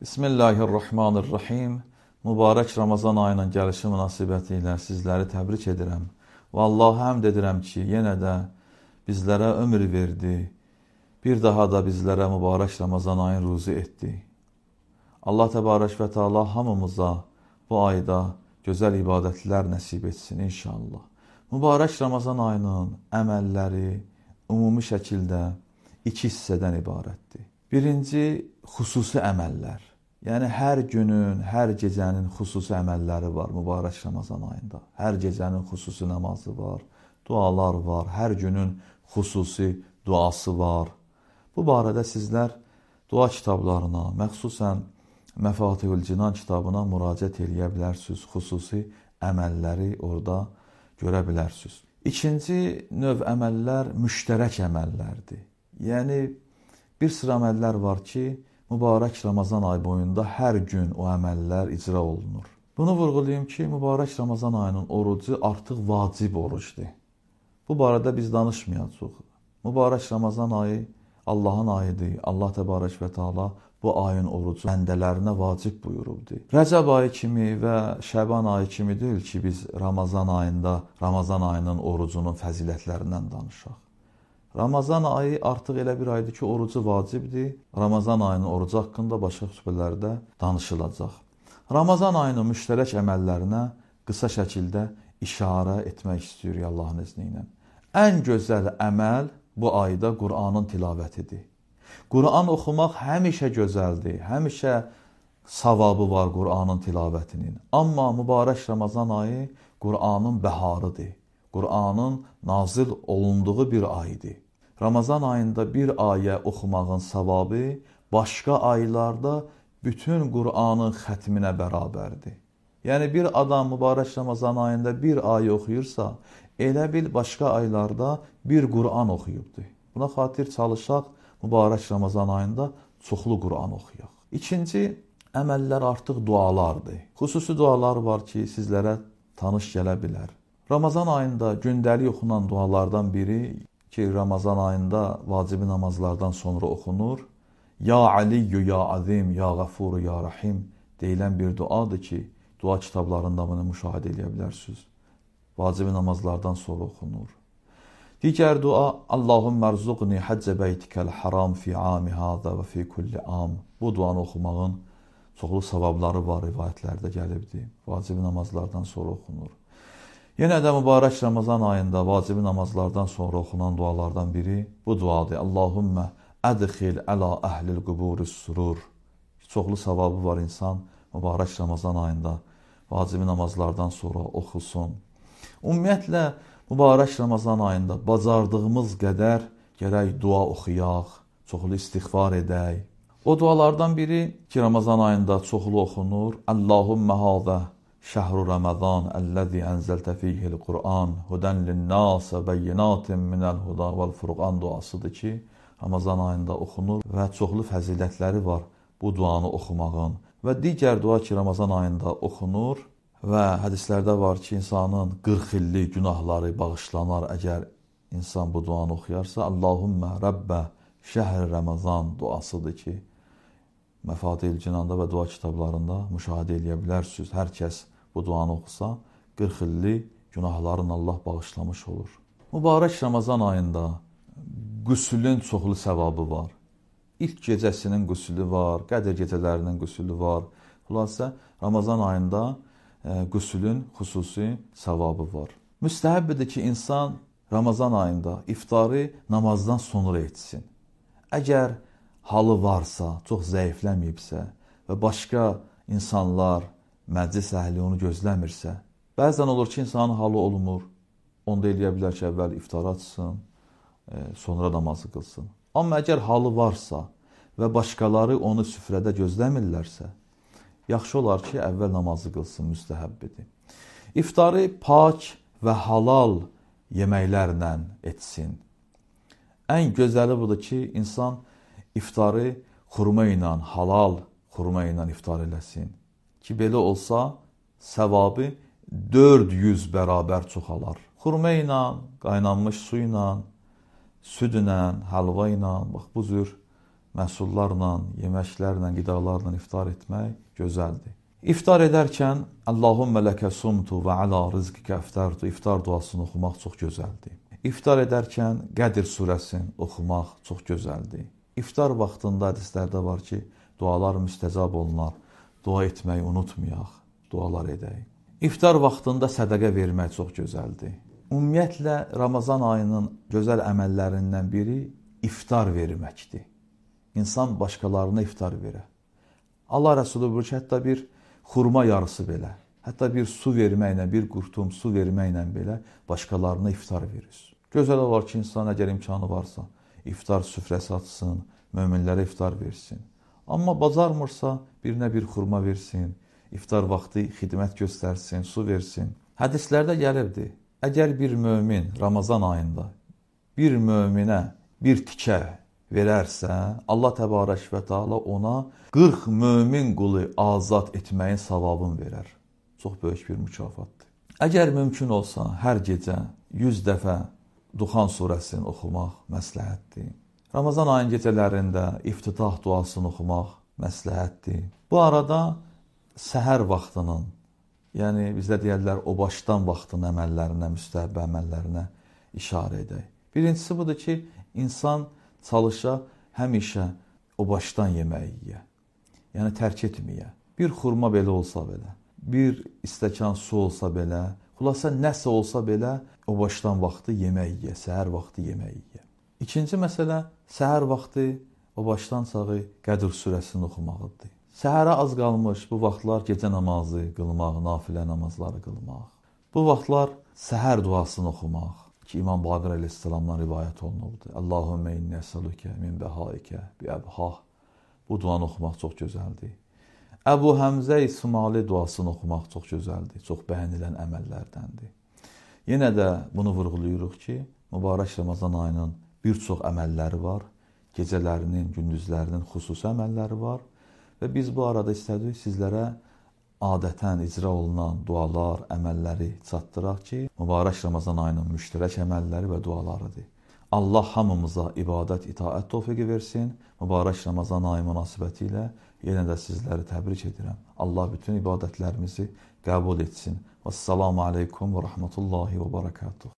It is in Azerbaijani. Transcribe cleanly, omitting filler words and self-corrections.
Bismillahirrahmanirrahim. Mübarək Ramazan ayının gəlişi münasibəti ilə sizləri təbrik edirəm. Və Allaha həmd edirəm ki, yenə də bizlərə ömür verdi. Bir daha da bizlərə mübarək Ramazan ayını ruzi etdi. Allah təbarək və Teala hamımıza bu ayda gözəl ibadətlər nəsib etsin inşallah. Mübarək Ramazan ayının əməlləri ümumi şəkildə iki hissədən ibarətdir. Birinci, xüsusi əməllər. Yəni, hər günün, hər gecənin xüsusi əməlləri var mübarək Ramazan ayında. Hər gecənin xüsusi namazı var, dualar var, hər günün xüsusi duası var. Bu barədə sizlər dua kitablarına, məxsusən Məfatihül Cinan kitabına müraciət eləyə bilərsiniz. Xüsusi əməlləri orada görə bilərsiniz. İkinci növ əməllər müştərək əməllərdir. Yəni, bir sıra əməllər var ki, mübarək Ramazan ayı boyunda hər gün o əməllər icra olunur. Bunu vurğulayım ki, mübarək Ramazan ayının orucu artıq vacib orucdur. Bu barədə biz danışmayacağıq. Mübarək Ramazan ayı Allahın ayıdır. Allah təbarək və Teala bu ayın orucu bəndələrinə vacib buyurubdur. Rəcəb ayı kimi və Şəban ayı kimi deyil ki, biz Ramazan ayının orucunun fəzilətlərindən danışaq. Ramazan ayı artıq elə bir aydır ki, orucu vacibdir. Ramazan ayının orucu haqqında başqa xütbələrdə danışılacaq. Ramazan ayının müştərək əməllərinə qısa şəkildə işarə etmək istəyirik Allahın izni ilə. Ən gözəl əməl bu ayda Qur'anın tilavətidir. Qur'an oxumaq həmişə gözəldir, həmişə savabı var Qur'anın tilavətinin. Amma mübarək Ramazan ayı Qur'anın bəharıdır. Qur'anın nazil olunduğu bir aydır. Ramazan ayında bir ayə oxumağın savabı başqa aylarda bütün Qur'anın xətminə bərabərdir. Yəni, bir adam mübarək Ramazan ayında bir ayə oxuyursa, elə bil başqa aylarda bir Qur'an oxuyubdur. Buna xatir çalışaq, mübarək Ramazan ayında çoxlu Qur'an oxuyaq. İkinci əməllər artıq dualardır. Xüsusi dualar var ki, sizlərə tanış gələ bilər. Ramazan ayında gündəlik oxunan dualardan biri ki, Ramazan ayında vacibi namazlardan sonra oxunur. Ya Aliyyü, Ya Azim, Ya Qafuru, Ya Rahim deyilən bir duadır ki, dua kitablarında bunu müşahidə edə bilərsiniz. Vacibi namazlardan sonra oxunur. Digər dua, Allahümmə rzuqni həccə beytikəl haram fi ami hada və fi kulli am. Bu duanı oxumağın çoxlu savabları var, rivayətlərdə gəlibdir. Vacibi namazlardan sonra oxunur. Yenə də mübarək Ramazan ayında vacibi namazlardan sonra oxunan dualardan biri bu duadır. Allahümmə ədxil əla əhlil quburis surur. Çoxlu savabı var insan mübarək Ramazan ayında vacibi namazlardan sonra oxusun. Ümumiyyətlə, mübarək Ramazan ayında bacardığımız qədər gərək dua oxuyaq, çoxlu istiğfar edək. O dualardan biri ki, Ramazan ayında çoxlu oxunur. Allahümmə hâzə şəhru Ramazan əlləzi ənzəltə fiyhil Qur'an hudən linnâsə bəyyinatin minəl huda vəl furqan duasıdır ki, Ramazan ayında oxunur və çoxlu fəzilətləri var bu duanı oxumağın. Və digər dua ki, Ramazan ayında oxunur və hədislərdə var ki, insanın 40 illik günahları bağışlanar əgər insan bu duanı oxuyarsa. Allahümmə Rəbbə şəhr Ramazan duasıdır ki, Məfatihül Cinanda və dua kitablarında müşahidə edə bilərsiniz. Hər kəs bu duanı oxusa, 40 illik günahlarını Allah bağışlamış olur. Mübarək Ramazan ayında qüsülün çoxlu səvabı var. İlk gecəsinin qüsülü var, Qədr gecələrinin qüsülü var. Xülasə, Ramazan ayında qüsülün xüsusi savabı var. Müstəhəbbidir ki, insan Ramazan ayında iftarı namazdan sonra etsin. Əgər halı varsa, çox zəifləməyibsə və başqa insanlar, məclis əhli onu gözləmirsə, bəzən olur ki, insanın halı olmur. Onda eləyə bilər ki, əvvəl iftar açsın, sonra namazı qılsın. Amma əgər halı varsa və başqaları onu süfrədə gözləmirlərsə, yaxşı olar ki, əvvəl namazı qılsın, müstəhəbbidir. İftarı pak və halal yeməklərlə etsin. Ən gözəli budur ki, insan iftarı xurma ilə, halal xurma ilə iftar eləsin. Ki, belə olsa, səvabı 400 bərabər çoxalar. Xurma ilə, qaynanmış su ilə, süd ilə, həlva ilə, bax, bu cür məhsullarla, yeməklərlə, qidalarla iftar etmək gözəldir. İftar edərkən Allahümmə ləkə sumtu və alə rizqikə iftartu iftar duasını oxumaq çox gözəldir. İftar edərkən Qədr surəsini oxumaq çox gözəldir. İftar vaxtında hədislərdə var ki, dualar müstəcab olunar. Dua etməyi unutmayaq, dualar edək. İftar vaxtında sədəqə vermək çox gözəldir. Ümumiyyətlə, Ramazan ayının gözəl əməllərindən biri iftar verməkdir. İnsan başqalarına iftar verə. Allah Rəsulü buyurur ki, hətta bir xurma yarısı belə, hətta bir su verməklə, bir qurtum su verməklə belə başqalarına iftar verir. Gözəl olar ki, insan əgər imkanı varsa, iftar süfrəsi açsın, möminlərə iftar versin. Amma bacarmırsa, birinə bir xurma versin, iftar vaxtı xidmət göstərsin, su versin. Hədislərdə gəlirdi, əgər bir mömin Ramazan ayında bir möminə bir tikə verərsə, Allah Təbarək və Teala ona 40 mömin qulu azad etməyin savabını verər. Çox böyük bir mükafatdır. Əgər mümkün olsa, hər gecə 100 dəfə Duxan surəsini oxumaq məsləhətdir. Ramazan ayın gecələrində iftitah duasını oxumaq məsləhətdir. Bu arada səhər vaxtının, yəni bizdə deyərlər o başdan vaxtın əməllərinə, müstəhəb əməllərinə işarə edək. Birincisi budur ki, insan çalışa həmişə o başdan yeməyi yeyə. Yəni tərk etməyə. Bir xurma belə olsa belə, bir stəkan su olsa belə, xülasə nəsə olsa belə o başdan vaxtı yemək yeyə, səhər vaxtı yemək yeyə. İkinci məsələ, səhər vaxtı o başdan sağı Qədr surəsini oxumağıdır. Səhərə az qalmış bu vaxtlar gecə namazı qılmaq, nafilə namazları qılmaq. Bu vaxtlar səhər duasını oxumaq ki, İmam Baqir əleyhissalamdan rivayət olunubdur. Allahümmə inni əsəlükə min bəhaikə bi əbhah. Bu duanı oxumaq çox gözəldir. Əbu Həmzə İsmaili duasını oxumaq çox gözəldir, çox bəyənilən əməllərdəndir. Yenə də bunu vurğulayırıq ki, mübarək Ramazan ayının bir çox əməlləri var, gecələrinin, gündüzlərinin xüsusi əməlləri var və biz bu arada istədik sizlərə adətən icra olunan dualar, əməlləri çatdıraq ki, mübarək Ramazan ayının müştərək əməlləri və dualarıdır. Allah hamımıza ibadət, itaət tövfiqi versin. Mübarək Ramazan ayı münasibəti ilə yenə də sizləri təbrik edirəm. Allah bütün ibadətlərimizi qəbul etsin. Vəssalamu aleykum və rəhmətullahi və barakatuhu.